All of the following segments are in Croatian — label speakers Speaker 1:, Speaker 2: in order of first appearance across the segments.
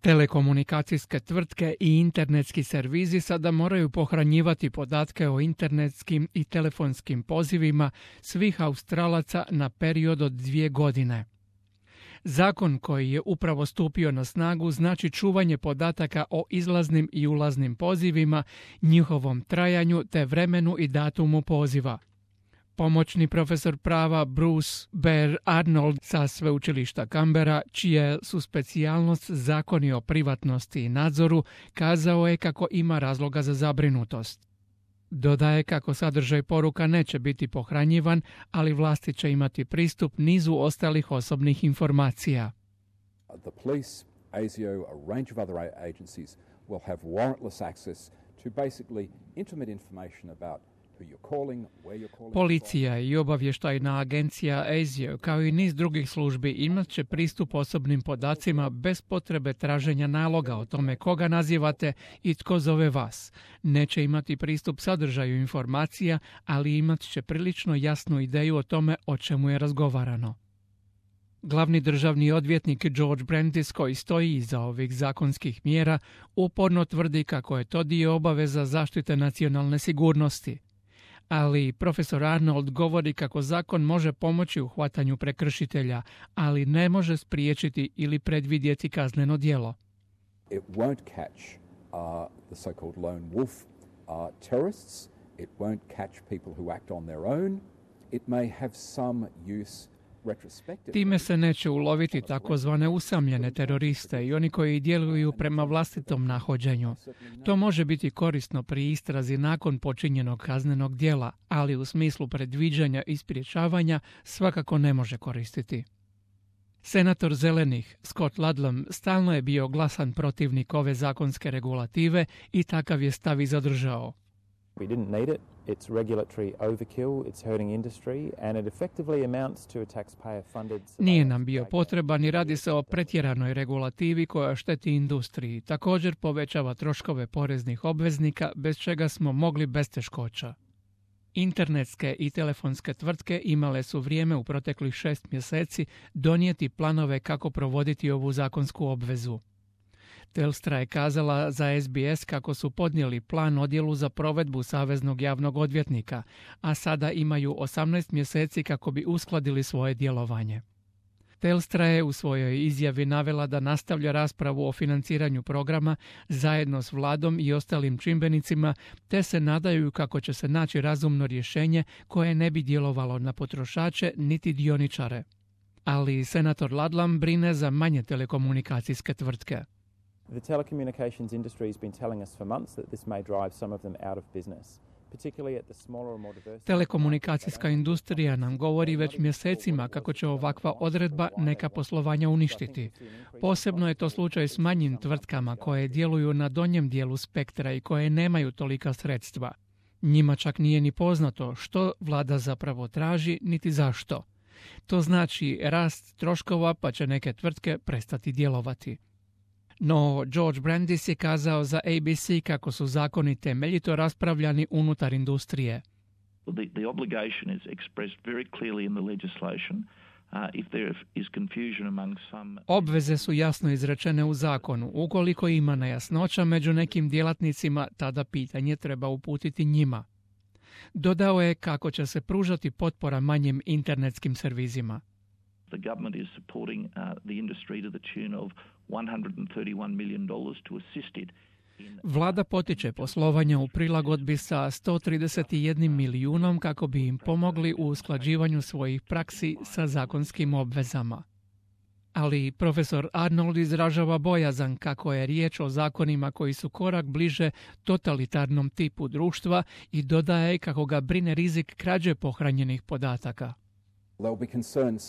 Speaker 1: Telekomunikacijske tvrtke i internetski servizi sada moraju pohranjivati podatke o internetskim i telefonskim pozivima svih Australaca na period od 2 godine. Zakon koji je upravo stupio na snagu znači čuvanje podataka o izlaznim i ulaznim pozivima, njihovom trajanju te vremenu i datumu poziva. Pomoćni profesor prava Bruce Bear Arnold sa sveučilišta Canberra, čije su specijalnost zakoni o privatnosti i nadzoru, kazao je kako ima razloga za zabrinutost. Dodaje kako sadržaj poruka neće biti pohranjivan, ali vlasti će imati pristup nizu ostalih osobnih informacija.
Speaker 2: The police, ASIO, a range of other agencies will have warrantless access to basically intimate information about who you're calling, where you're calling.
Speaker 1: Policija i obavještajna agencija ASIO kao i niz drugih službi imat će pristup osobnim podacima bez potrebe traženja naloga o tome koga nazivate i tko zove vas. Neće imati pristup sadržaju informacija, ali imat će prilično jasnu ideju o tome o čemu je razgovarano. Glavni državni odvjetnik George Brandis, koji stoji iza ovih zakonskih mjera, uporno tvrdi kako je to dio obaveza zaštite nacionalne sigurnosti. Ali profesor Arnold govori kako zakon može pomoći u hvatanju prekršitelja, ali ne može spriječiti ili predvidjeti kazneno djelo.
Speaker 2: It won't catch the so-called lone wolf terrorists. It won't catch people who act on their own. It may have some use.
Speaker 1: Time se neće uloviti takozvane usamljene teroriste i oni koji djeluju prema vlastitom nahođenju. To može biti korisno pri istrazi nakon počinjenog kaznenog djela, ali u smislu predviđanja i sprječavanja svakako ne može koristiti. Senator Zelenih Scott Ludlam stalno je bio glasan protivnik ove zakonske regulative i takav je stav i zadržao.
Speaker 3: We didn't need it. It's regulatory overkill, it's hurting industry, and it effectively amounts to a taxpayer-funded...
Speaker 1: Nije nam bio potreban i radi se o pretjeranoj regulativi koja šteti industriji. Također povećava troškove poreznih obveznika, bez čega smo mogli bez teškoća. Internetske i telefonske tvrtke imale su vrijeme u proteklih 6 mjeseci donijeti planove kako provoditi ovu zakonsku obvezu. Telstra je kazala za SBS kako su podnijeli plan odjelu za provedbu Saveznog javnog odvjetnika, a sada imaju 18 mjeseci kako bi uskladili svoje djelovanje. Telstra je u svojoj izjavi navela da nastavlja raspravu o financiranju programa zajedno s vladom i ostalim čimbenicima, te se nadaju kako će se naći razumno rješenje koje ne bi djelovalo na potrošače niti dioničare. Ali senator Ludlam brine za manje telekomunikacijske tvrtke.
Speaker 3: The telecommunications industry has been telling us for months that this may drive some of them out of business.
Speaker 1: Telekomunikacijska industrija nam govori već mjesecima kako će ovakva odredba neka poslovanja uništiti. Posebno je to slučaj s manjim tvrtkama koje djeluju na donjem dijelu spektra i koje nemaju tolika sredstva. Njima čak nije ni poznato što vlada zapravo traži niti zašto. To znači rast troškova pa će neke tvrtke prestati djelovati. No, George Brandis je kazao za ABC kako su zakoni temeljito raspravljani unutar industrije.
Speaker 4: The obligation is expressed very clearly in the legislation. If there is confusion among some...
Speaker 1: Obveze su jasno izrečene u zakonu. Ukoliko ima nejasnoća među nekim djelatnicima, tada pitanje treba uputiti njima. Dodao je kako će se pružati potpora manjim internetskim servizima.
Speaker 4: The government is supporting the industry to the tune of $131 million to assist it.
Speaker 1: Vlada potiče poslovanje u prilagodbi sa 131 milijunom kako bi im pomogli u usklađivanju svojih praksi sa zakonskim obvezama. Ali profesor Arnold izražava bojazan kako je riječ o zakonima koji su korak bliže totalitarnom tipu društva i dodaje kako ga brine rizik krađe pohranjenih podataka.
Speaker 2: They'll be concerned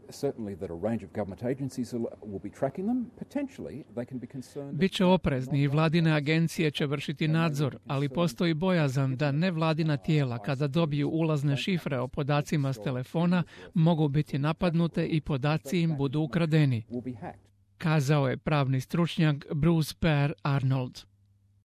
Speaker 2: certainly that a range of government agencies will be tracking them. Potentially they can be concerned.
Speaker 1: Biće oprezni i vladine agencije će vršiti nadzor, ali postoji bojazan da nevladina tijela kada dobiju ulazne šifre o podacima s telefona mogu biti napadnute i podaci im budu ukradeni. Kazao je pravni stručnjak Bruce Bear Arnold.